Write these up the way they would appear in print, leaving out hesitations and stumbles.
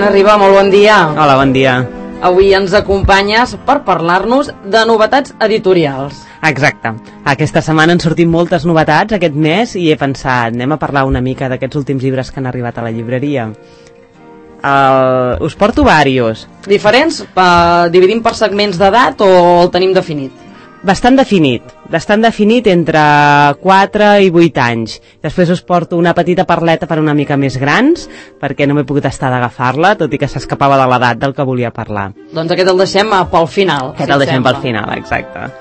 Vicent Arriba, molt bon dia. Hola, bon dia. Avui ens acompanyes per parlar-nos de novetats editorials. Exacte. Aquesta setmana han sortit moltes novetats aquest mes i he pensat, anem a parlar una mica d'aquests últims llibres que han arribat a la llibreria. Us porto diversos. Diferents? Dividim per segments d'edat o el tenim definit? Bastant definit entre 4 i 8 anys. Després us porto una petita parleta per una mica més grans, perquè no m'he pogut estar d'agafar-la, tot i que s'escapava de l'edat del que volia parlar. Doncs aquest el deixem pel final. Aquest el deixem pel final, exacte.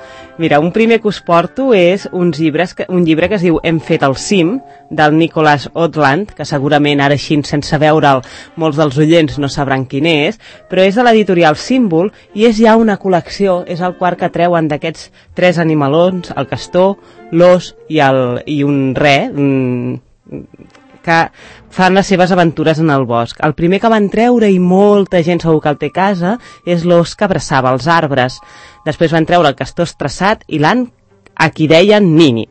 Mira, un primer que us porto és un llibre que es diu Hem fet el cim, del Nicholas Outland, que segurament ara així, sense veure'l, molts dels oients no sabran quin és, però és de l'editorial Símbol i és ja una col·lecció, és el quart que treuen d'aquests 3 animalons, el castor, l'os i un re, que fan les seves aventures en el bosc. El primer que van treure, i molta gent segur que el té a casa, és l'os que abraçava els arbres. Després van treure el castor estressat i l'an a qui deien Nini.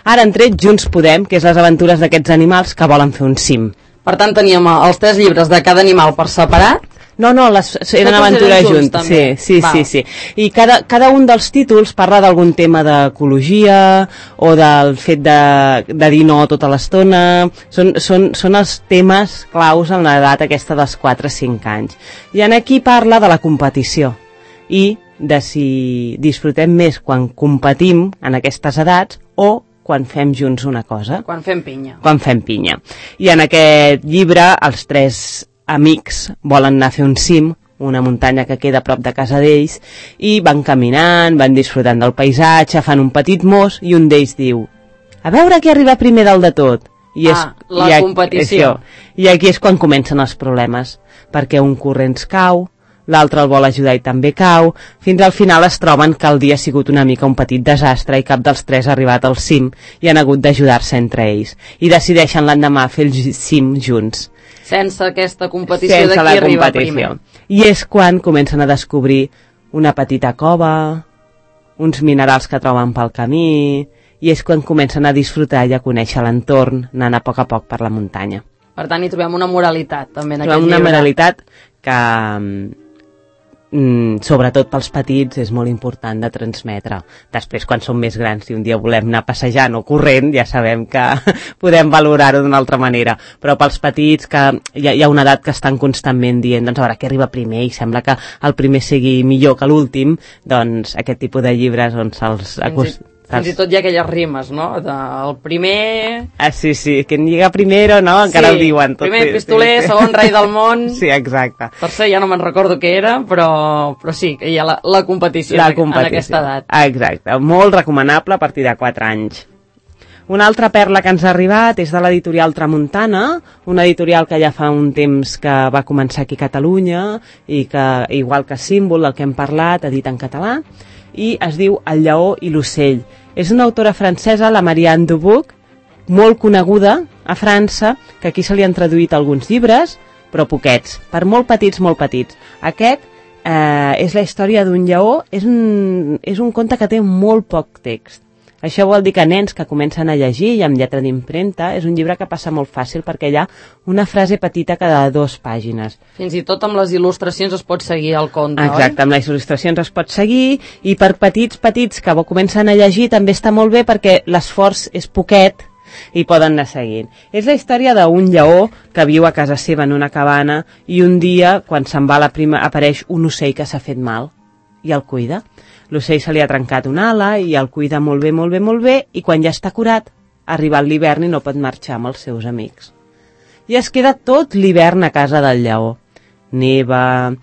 Ara han tret Junts Podem, que és les aventures d'aquests animals que volen fer un cim. Per tant, teníem els 3 llibres de cada animal per separat. No, eren aventures junts. Sí. I cada un dels títols parla d'algun tema d'ecologia o del fet de dir no tota l'estona. Són els temes claus en l'edat aquesta dels 4-5 anys. I aquí parla de la competició i de si disfrutem més quan competim en aquestes edats o quan fem junts una cosa. Quan fem pinya. I en aquest llibre els 3 amics volen anar a fer un cim, una muntanya que queda a prop de casa d'ells, i van caminant, van disfrutant del paisatge, fan un petit mos i un d'ells diu: a veure qui arriba primer dalt de tot. La competició. I aquí és quan comencen els problemes, perquè un corrents cau, l'altre el vol ajudar i també cau, fins al final es troben que el dia ha sigut una mica un petit desastre i cap dels 3 ha arribat al cim i han hagut d'ajudar-se entre ells. I decideixen l'endemà fer el cim junts. Sense aquesta competició de qui arriba primer. I és quan comencen a descobrir una petita cova, uns minerals que troben pel camí, i és quan comencen a disfrutar i a conèixer l'entorn, anant a poc per la muntanya. Per tant, hi trobem una moralitat, també, en aquest llibre. Trobem una moralitat que, sobretot pels petits, és molt important de transmetre. Després, quan som més grans i un dia volem anar passejant o corrent, ja sabem que podem valorar-ho d'una altra manera, però pels petits que hi ha una edat que estan constantment dient, doncs a veure què arriba primer i sembla que el primer sigui millor que l'últim, doncs aquest tipus de llibres Fins i tot hi ha aquelles rimes, no? El primer... Sí, que lliga primero, no? Encara ho diuen. Primer pistoler, segon rei del món... Sí, exacte. Tercer, ja no me'n recordo què era, però sí, que hi ha la competició en aquesta edat. Exacte, molt recomanable a partir de 4 anys. Una altra perla que ens ha arribat és de l'editorial Tramuntana, una editorial que ja fa un temps que va començar aquí a Catalunya i que, igual que Símbol, del que hem parlat, edita en català, i es diu El lleó i l'ocell. És una autora francesa, la Marianne Dubuc, molt coneguda a França, que aquí se li han traduït alguns llibres, però poquets, per molt petits. Aquest és la història d'un lleó, és un conte que té molt poc text. Això vol dir que nens que comencen a llegir i amb lletra d'impremta és un llibre que passa molt fàcil perquè hi ha una frase petita cada 2 pàgines. Fins i tot amb les il·lustracions es pot seguir el conte, Exacte, amb les il·lustracions es pot seguir i per petits que comencen a llegir també està molt bé perquè l'esforç és poquet i poden anar seguint. És la història d'un lleó que viu a casa seva en una cabana i un dia, quan se'n va apareix un ocell que s'ha fet mal i el cuida. L'ocell se li ha trencat una ala i el cuida molt bé i quan ja està curat, ha arribat l'hivern i no pot marxar amb els seus amics. I es queda tot l'hivern a casa del lleó. Neva,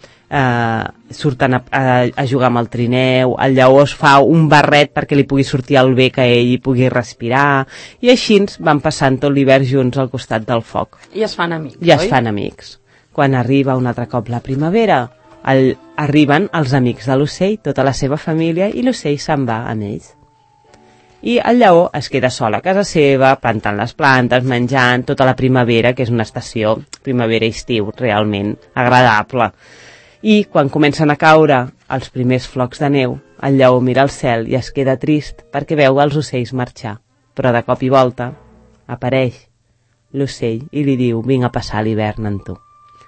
surten a jugar amb el trineu, el lleó es fa un barret perquè li pugui sortir el bé que ell hi pugui respirar, i així van passant tot l'hivern junts al costat del foc. I es fan amics, I es fan amics. Quan arriba un altre cop la primavera, arriben els amics de l'ocell, tota la seva família, i l'ocell se'n va amb ells. I el lleó es queda sol a casa seva, plantant les plantes, menjant tota la primavera, que és una estació primavera-estiu realment agradable. I quan comencen a caure els primers flocs de neu, el lleó mira al cel i es queda trist perquè veu els ocells marxar. Però de cop i volta apareix l'ocell i li diu: vinc a passar l'hivern amb tu.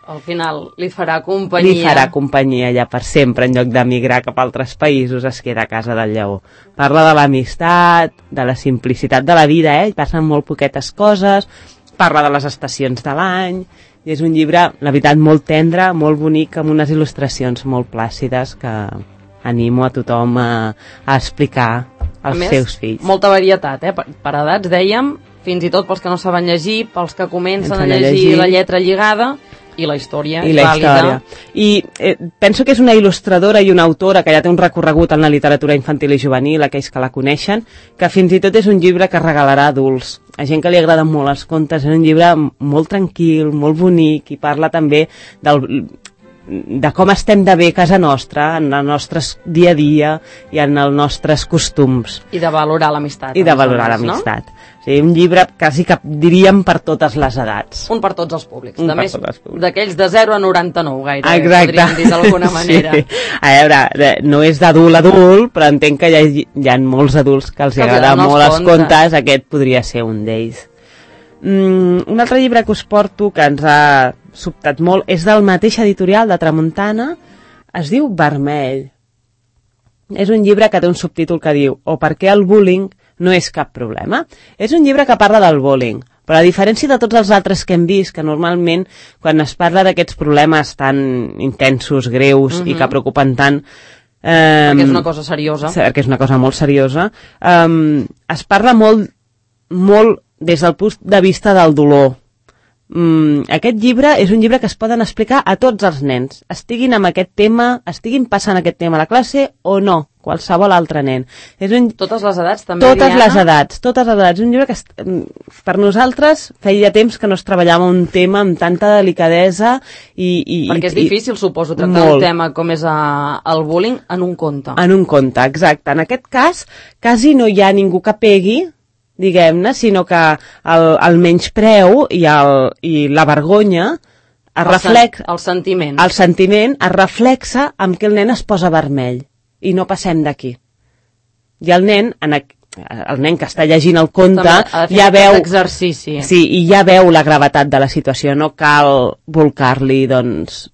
al final li farà companyia. Li farà companyia ja per sempre, en lloc d'emigrar cap a altres països, es queda a casa del lleó. Parla de l'amistat, de la simplicitat de la vida, passen molt poquetes coses, parla de les estacions de l'any, i és un llibre, la veritat, molt tendre, molt bonic, amb unes il·lustracions molt plàcides que animo a tothom a explicar als seus fills. Molta varietat, per edats, dèiem, fins i tot pels que no saben llegir, pels que comencen a llegir la lletra lligada, i la història és vàlida. I penso que és una il·lustradora i una autora que ja té un recorregut en la literatura infantil i juvenil, aquells que la coneixen, que fins i tot és un llibre que regalarà a adults. A gent que li agraden molt els contes, és un llibre molt tranquil, molt bonic, i parla també de com estem de bé a casa nostra, en el nostre dia a dia i en els nostres costums. I de valorar l'amistat. I de valorar l'amistat. No? O sigui, un llibre quasi que diríem per totes les edats. Un per tots els públics. A més, d'aquells de 0 a 99 gairebé, exacte. Podríem dir d'alguna manera. Sí. A veure, no és d'adult a adult, però entenc que hi ha molts adults que els agraden molt els contes, aquest podria ser un d'ells. Un altre llibre que us porto, que ens ha sobtat molt, és del mateix editorial de Tramuntana, es diu Vermell. És un llibre que té un subtítol que diu "O per què el bullying no és cap problema". És un llibre que parla del bullying, però a diferència de tots els altres que hem vist, que normalment quan es parla d'aquests problemes tan intensos, greus i que preocupen tant, perquè és una cosa seriosa, perquè és una cosa molt seriosa, es parla molt des del punt de vista del dolor. Aquest llibre és un llibre que es poden explicar a tots els nens, estiguin amb aquest tema, estiguin passant aquest tema a la classe o no, qualsevol altre nen. Totes les edats també, totes les edats. És un llibre que per nosaltres feia temps que no es treballava un tema amb tanta delicadesa perquè és difícil, suposo, tractar un tema com és el bullying en un conte. En un conte, exacte. En aquest cas, quasi no hi ha ningú que pegui, diguem-ne, sinó que el menyspreu i la vergonya el sentiment es reflexa amb que el nen es posa vermell i no passem d'aquí. I el nen que està llegint el conte ja veu exercici. Sí, i ja veu la gravetat de la situació, no cal volcar-li doncs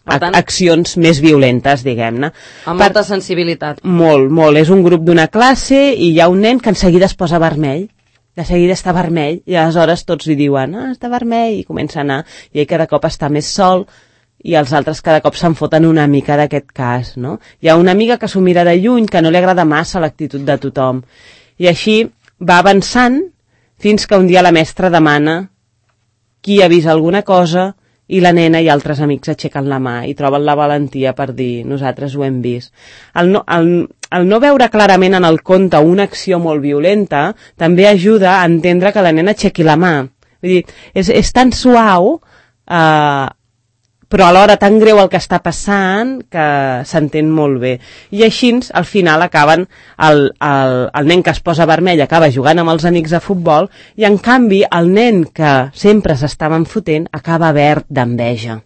accions més violentes, diguem-ne. Amb molta sensibilitat. Molt. És un grup d'una classe i hi ha un nen que en seguida es posa vermell. De seguida està vermell i aleshores tots li diuen està vermell i comença a anar i ell cada cop està més sol i els altres cada cop se'n foten una mica d'aquest cas, no? Hi ha una amiga que s'ho mira de lluny, que no li agrada massa l'actitud de tothom. I així va avançant fins que un dia la mestra demana qui ha vist alguna cosa i la nena i altres amics aixequen la mà i troben la valentia per dir nosaltres ho hem vist. El no veure clarament en el conte una acció molt violenta també ajuda a entendre que la nena aixequi la mà. Vull dir, és tan suau però alhora tan greu el que està passant que s'entén molt bé. I així, al final, acaben el nen que es posa vermell acaba jugant amb els amics a futbol i, en canvi, el nen que sempre s'estaven fotent acaba verd d'enveja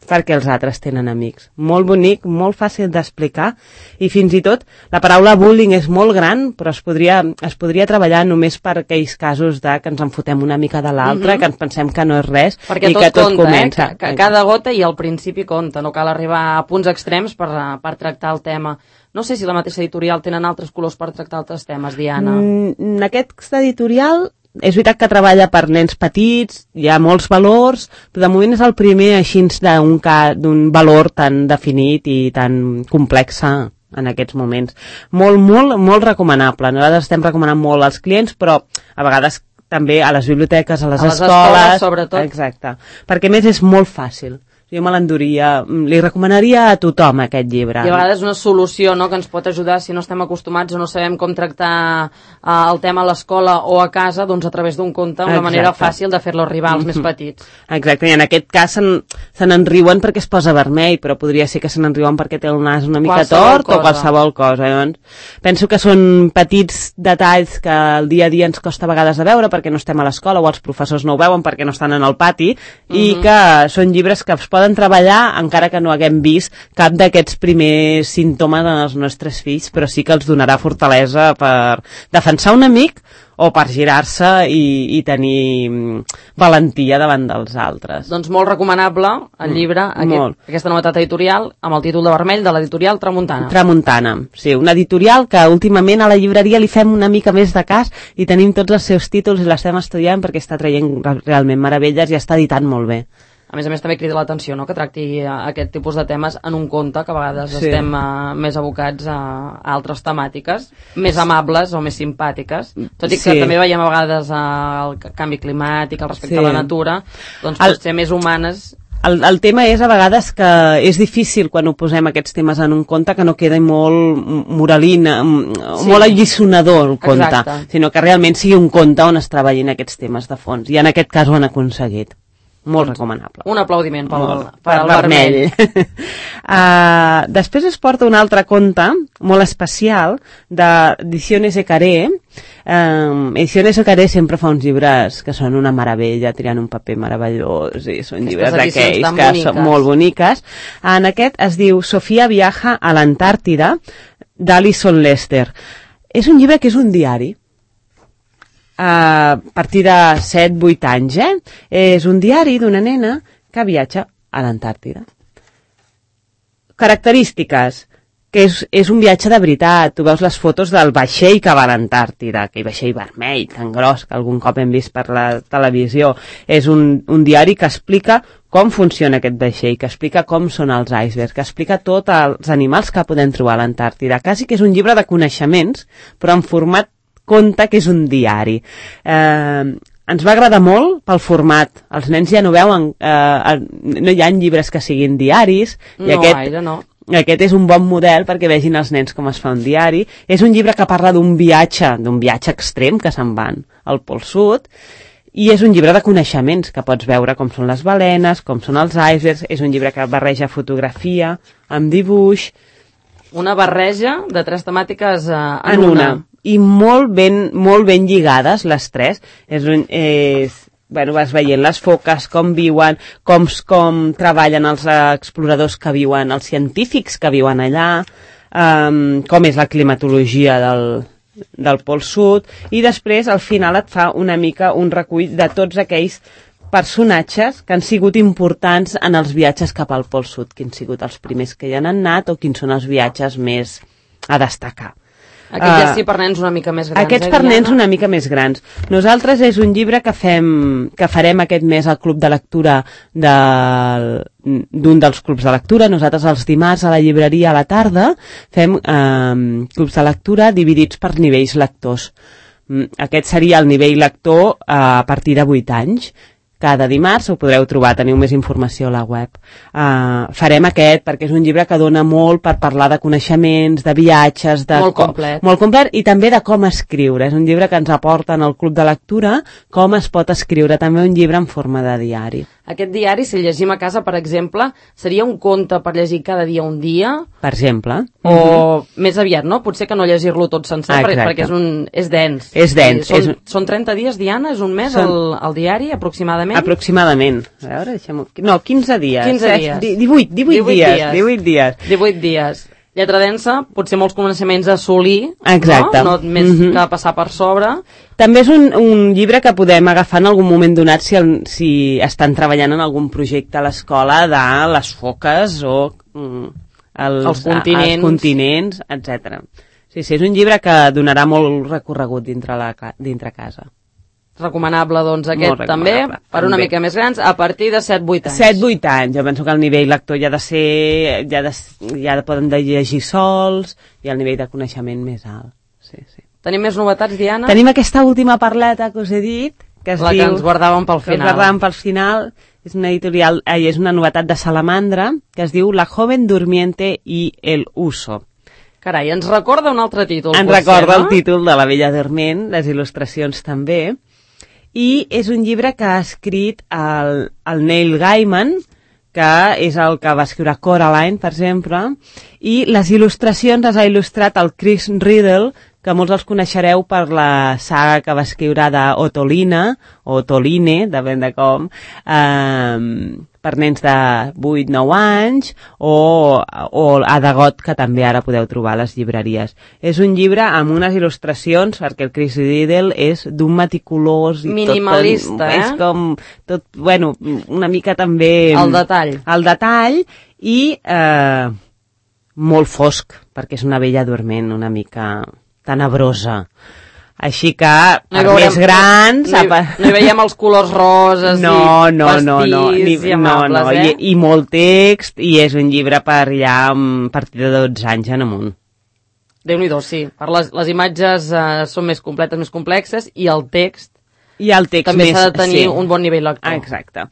perquè els altres tenen amics. Molt bonic, molt fàcil d'explicar i fins i tot la paraula bullying és molt gran, però es podria treballar només per aquells casos de que ens en fotem una mica de l'altre, que ens pensem que no és res perquè i que tot comença. Que cada gota i al principi compta, no cal arribar a punts extrems per tractar el tema. No sé si la mateixa editorial tenen altres colors per tractar altres temes, Diana. En aquest editorial és veritat que treballa per nens petits, hi ha molts valors, però de moment és el primer així d'un valor tan definit i tan complex en aquests moments. Molt recomanable. Nosaltres estem recomanant molt als clients, però a vegades també a les biblioteques, a les escoles, sobretot. Exacte. Perquè a més és molt fàcil. Jo me l'enduria, li recomanaria a tothom aquest llibre. I a vegades una solució, no?, que ens pot ajudar si no estem acostumats o no sabem com tractar el tema a l'escola o a casa, doncs a través d'un conte, una manera fàcil de fer-lo arribar als més petits. Exacte, i en aquest cas se n'enriuen perquè es posa vermell, però podria ser que se n'enriuen perquè té el nas una mica tort o qualsevol cosa. Llavors, penso que són petits detalls que el dia a dia ens costa a vegades de veure perquè no estem a l'escola o els professors no ho veuen perquè no estan en el pati i que són llibres que es poden treballar encara que no haguem vist cap d'aquests primers símptomes en els nostres fills, però sí que els donarà fortalesa per defensar un amic o per girar-se i tenir valentia davant dels altres. Doncs molt recomanable el llibre, aquesta novetat editorial, amb el títol de vermell de l'editorial Tramuntana. Tramuntana, sí, una editorial que últimament a la llibreria li fem una mica més de cas i tenim tots els seus títols i l'estem estudiant perquè està traient realment meravelles i està editant molt bé. A més també crida l'atenció, no?, que tracti aquest tipus de temes en un conte, que a vegades estem més abocats a altres temàtiques, més amables o més simpàtiques, tot i que també veiem a vegades el canvi climàtic, el respecte a la natura, doncs potser més humanes. El tema és a vegades que és difícil quan ho posem aquests temes en un conte que no quedi molt moralina, molt alliçonador el conte, sinó que realment sigui un conte on es treballin aquests temes de fons, i en aquest cas ho han aconseguit. Molt recomanable. Un aplaudiment pel vermell. Després es porta un altre conte molt especial d'Ediciones Ecaré. Ediciones Ecaré sempre fa uns llibres que són una meravella, triant un paper meravellós, i són llibres d'aquells que són molt boniques. En aquest es diu Sofia viaja a l'Antàrtida, d'Alison Lester. És un llibre que és un diari, a partir de 7-8 anys, és un diari d'una nena que viatja a l'Antàrtida. Característiques, que és un viatge de veritat. Tu veus les fotos del vaixell que va a l'Antàrtida, aquell vaixell vermell, tan gros, que algun cop hem vist per la televisió. És un diari que explica com funciona aquest vaixell, que explica com són els icebergs, que explica tots els animals que podem trobar a l'Antàrtida. Quasi que és un llibre de coneixements, però en format conte, que és un diari. Ens va agradar molt pel format. Els nens ja no veuen, no hi ha llibres que siguin diaris, i aquest és un bon model perquè vegin els nens com es fa un diari. És un llibre que parla d'un viatge extrem, que se'n van al Pol Sud, i és un llibre de coneixements, que pots veure com són les balenes, com són els icebergs. És un llibre que barreja fotografia amb dibuix. Una barreja de 3 temàtiques en una. I molt ben lligades, les 3. Vas veient les foques, com viuen, com treballen els exploradors que viuen, els científics que viuen allà, com és la climatologia del Pol Sud, i després al final et fa una mica un recull de tots aquells personatges que han sigut importants en els viatges cap al Pol Sud, quins han sigut els primers que hi han anat o quins són els viatges més a destacar. Aquest ja sí per nens una mica més grans. Aquests per nens una mica més grans. Nosaltres és un llibre que farem aquest mes al club de lectura d'un dels clubs de lectura. Nosaltres els dimarts a la llibreria a la tarda fem clubs de lectura dividits per nivells lectors. Aquest seria el nivell lector a partir de 8 anys. Cada dimarts ho podreu trobar, teniu més informació a la web. Farem aquest perquè és un llibre que dona molt per parlar de coneixements, de viatges, molt complet. Molt complet, i també de com escriure. És un llibre que ens aporta en el club de lectura com es pot escriure, també un llibre en forma de diari. Aquest diari, si el llegim a casa, per exemple, seria un conte per llegir cada dia un dia? Per exemple. O més aviat, no? Potser que no llegir-lo tot sencer, perquè és dens. És dens. Són 30 dies, Diana? És un mes el diari, aproximadament? Aproximadament. A veure, deixem-ho... No, 15 dies. 15 dies. 18 dies. 18 dies. Lletra densa, potser molts coneixements a assolir, exacte. No més que passar per sobre. També és un llibre que podem agafar en algun moment donat si estan treballant en algun projecte a l'escola de les foques o els continents, etc. Sí, és un llibre que donarà molt recorregut dintre casa. Recomanable, doncs, aquest també, per una mica més grans, a partir de 7-8 anys. 7-8 anys, jo penso que el nivell lector ja poden llegir sols, i el nivell de coneixement més alt. Sí. Tenim més novetats, Diana? Tenim aquesta última parleta que us he dit, que ens guardàvem pel final. És una editorial, és una novetat de Salamandra, que es diu La joven durmiente y el uso. Carai, ens recorda un altre títol. Ens recorda el títol de La bella dorment, les il·lustracions també. I és un llibre que ha escrit el Neil Gaiman, que és el que va escriure Coraline, per exemple, i les il·lustracions les ha il·lustrat el Chris Riddle, que molts els coneixereu per la saga que va escriure d'Otolina, o Toline, depèn de com, per nens de 8-9 anys, o Ada God, que també ara podeu trobar a les llibreries. És un llibre amb unes il·lustracions, perquè el Chris Riddle és d'un meticulós i minimalista, tot, és com tot, bueno, una mica també el detall i molt fosc, perquè és una vella dorment una mica tenebrosa. Així que, per més grans... No hi veiem els colors roses i pastís i amables, i molt text, i és un llibre per ja a partir de 12 anys en amunt. Déu-n'hi-do, sí. Les imatges són més completes, més complexes, i el text també s'ha de tenir un bon nivell lector. Exacte.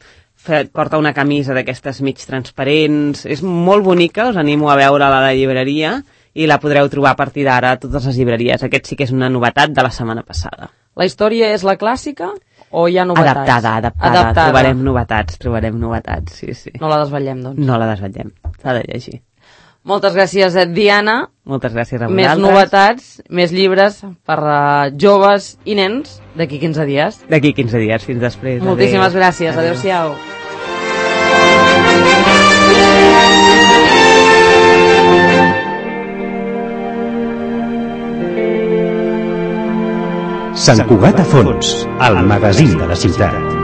Porta una camisa d'aquestes mig transparents, és molt bonica, us animo a veure-la a la llibreria, i la podreu trobar a partir d'ara a totes les llibreries. Aquest sí que és una novetat de la setmana passada. La història és la clàssica o hi ha novetats? Adaptada. Trobarem novetats, sí. No la desvetllem, doncs. No la desvetllem, s'ha de llegir. Moltes gràcies, Diana. Moltes gràcies a vosaltres. Més novetats, més llibres per joves i nens d'aquí 15 dies. D'aquí 15 dies, fins després. Moltíssimes gràcies, adéu-siau. Sant Cugat a Fons, el magazín de la ciutat.